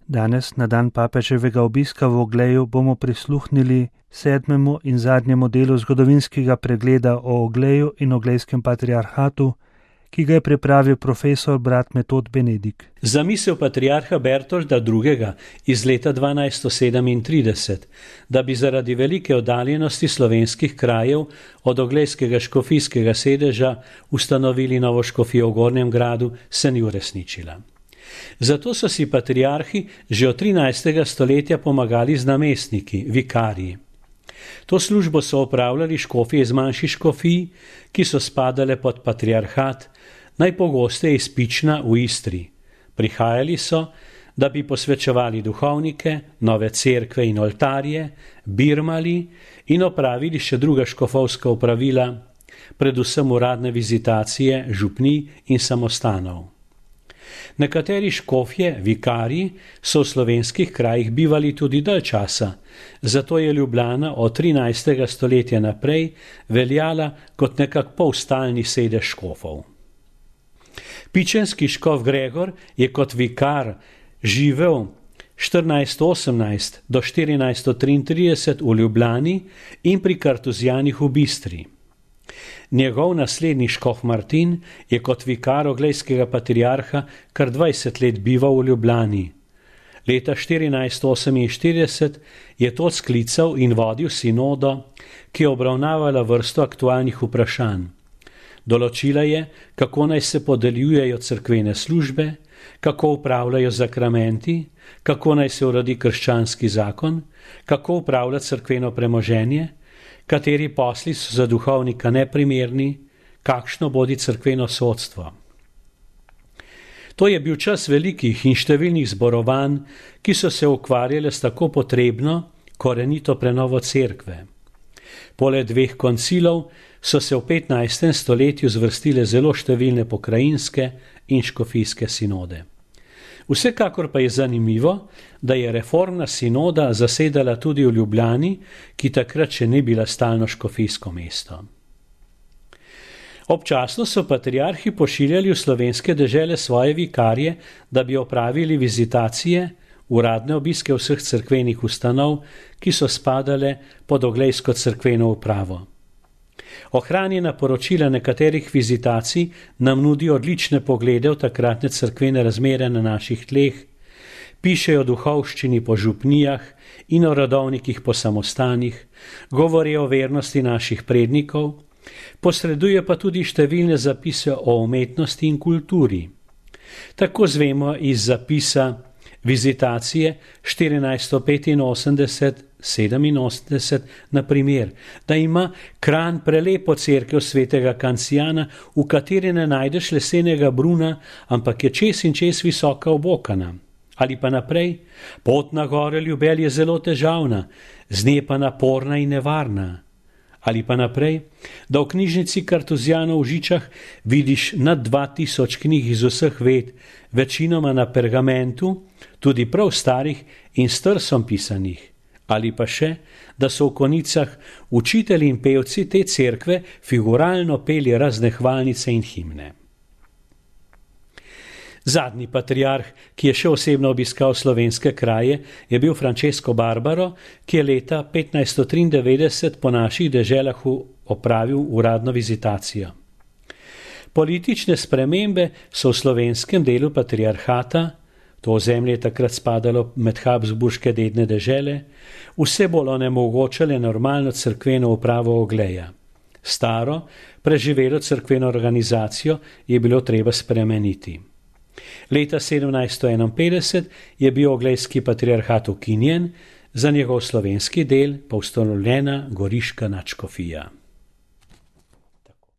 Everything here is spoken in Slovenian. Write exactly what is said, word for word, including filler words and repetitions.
Danes, na dan papeževega obiska v Ogleju, bomo prisluhnili sedmemu in zadnjemu delu zgodovinskega pregleda o Ogleju in oglejskem patriarhatu, ki ga je pripravil profesor brat Metod Benedik. Zamisel patriarha Bertolda drugega. iz leta dvanajststo sedemintrideset, da bi zaradi velike oddaljenosti slovenskih krajev od oglejskega škofijskega sedeža ustanovili novo škofijo v Gornjem Gradu, se ni uresničila. Zato so si patriarhi že od trinajstega stoletja pomagali z namestniki, vikariji. To službo so opravljali škofje iz manjših škofij, ki so spadale pod patriarhat, najpogosteje iz Pična v Istri. Prihajali so, da bi posvečevali duhovnike, nove cerkve in oltarje, birmali in opravili še druga škofovska opravila, predvsem uradne vizitacije, župnij in samostanov. Nekateri škofje, vikarji, so v slovenskih krajih bivali tudi dalj časa, zato je Ljubljana od trinajstega stoletja naprej veljala kot nekak polstalni sedež škofov. Pičenski škof Gregor je kot vikar živel štirinajststo osemnajst do štirinajststo triintrideset v Ljubljani in pri Kartuzijanih v Bistri. Njegov naslednji škof Martin je kot vikar oglejskega patriarha kar dvajset let bival v Ljubljani. Leta štirinajststo oseminštirideset je to sklical in vodil sinodo, ki je obravnavala vrsto aktualnih vprašanj. Določila je, kako naj se podeljujejo cerkvene službe, kako upravljajo zakramenti, kako naj se uredi krščanski zakon, kako upravlja cerkveno premoženje, kateri posli so za duhovnika neprimerni, kakšno bodi cerkveno sodstvo. To je bil čas velikih in številnih zborovanj, ki so se ukvarjale s tako potrebno, korenito prenovo cerkve. Poleg dveh koncilov so se v petnajstem stoletju zvrstile zelo številne pokrajinske in škofijske sinode. Vsekakor pa je zanimivo, da je reformna sinoda zasedala tudi v Ljubljani, ki takrat še ni bila stalno škofijsko mesto. Občasno so patriarhi pošiljali v slovenske dežele svoje vikarje, da bi opravili vizitacije, uradne obiske vseh cerkvenih ustanov, ki so spadale pod oglejsko cerkveno upravo. Ohranjena poročila nekaterih vizitacij nam nudi odlične poglede v takratne cerkvene razmere na naših tleh, pišejo o duhovščini po župnijah in o rodovnikih po samostanih, govorijo o vernosti naših prednikov, posreduje pa tudi številne zapise o umetnosti in kulturi. Tako zvemo iz zapisa vizitacije štirinajststo petinosemdeset sedeminosemdeset, na primer, da ima Kranj prelepo cerkev svetega Kancijana, v kateri ne najdeš lesenega bruna, ampak je čez in čez visoka obokana. Ali pa naprej, pot na gore Ljubelj je zelo težavna, z nje pa naporna in nevarna. Ali pa naprej, da v knjižnici Kartuzijanov v Žičah vidiš nad dva tisoč knjig iz vseh ved, večinoma na pergamentu, tudi prav starih in s trsom pisanih. Ali pa še, da so v konicah učitelji in pevci te cerkve figuralno peli razne hvalnice in himne. Zadnji patriarh, ki je še osebno obiskal slovenske kraje, je bil Francesco Barbaro, ki je leta petnajststo triindevetdeset po naših deželah opravil uradno vizitacijo. Politične spremembe so v slovenskem delu patriarhata, to ozemlje je takrat spadalo med habsburške dedne dežele, vse bolj onemogočale normalno cerkveno upravo Ogleja. Staro, preživelo cerkveno organizacijo je bilo treba spremeniti. Leta sedemnajststo enainpetdeset je bil oglejski patriarhat ukinjen, za njegov slovenski del pa ustanovljena goriška nadškofija.